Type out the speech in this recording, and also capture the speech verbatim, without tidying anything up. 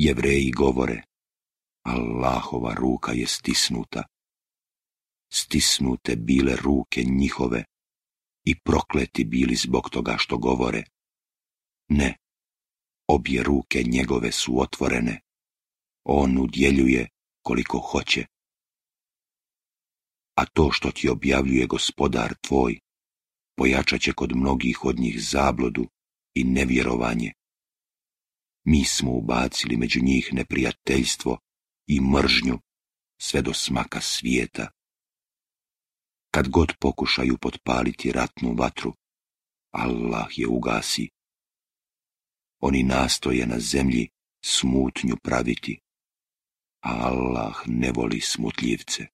Jevreji govore, Allahova ruka je stisnuta. Stisnute bile ruke njihove i prokleti bili zbog toga što govore. Ne, obje ruke njegove su otvorene. On udjeljuje koliko hoće. A to što ti objavljuje Gospodar tvoj, pojačat će kod mnogih od njih zabludu i nevjerovanje. Mi smo ubacili među njih neprijateljstvo i mržnju sve do smaka svijeta. Kad god pokušaju potpaliti ratnu vatru, Allah je ugasi. Oni nastoje na zemlji smutnju praviti, a Allah ne voli smutljivce.